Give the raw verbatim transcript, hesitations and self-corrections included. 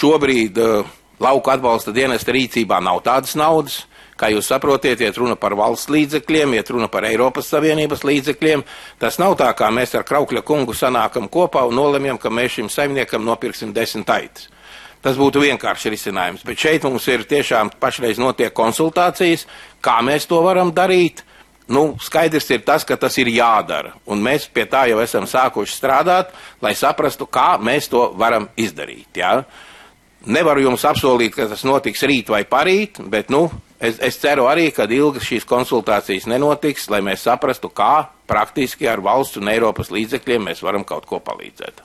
šobrīd uh, lauka atbalsta dienesta rīcībā nav tādas naudas. Kā jūs saprotiet, iet runa par valsts līdzekļiem, iet runa par Eiropas Savienības līdzekļiem. Tas nav tā, kā mēs ar Kraukļa kungu sanākam kopā un nolemjam, ka mēs šim saimniekam nopirksim desmit aitas. Tas būtu vienkārši risinājums, bet šeit mums ir tiešām pašreiz notiek konsultācijas, kā mēs to varam darīt. Nu, skaidrs ir tas, ka tas ir jādara, un mēs pie tā jau esam sākuši strādāt, lai saprastu, kā mēs to varam izdarīt. Ja? Nevaru jums apsolīt, ka tas notiks rīt vai parīt, bet nu, es, es ceru arī, ka ilgas šīs konsultācijas nenotiks, lai mēs saprastu, kā praktiski ar valsts un Eiropas līdzekļiem mēs varam kaut ko palīdzēt.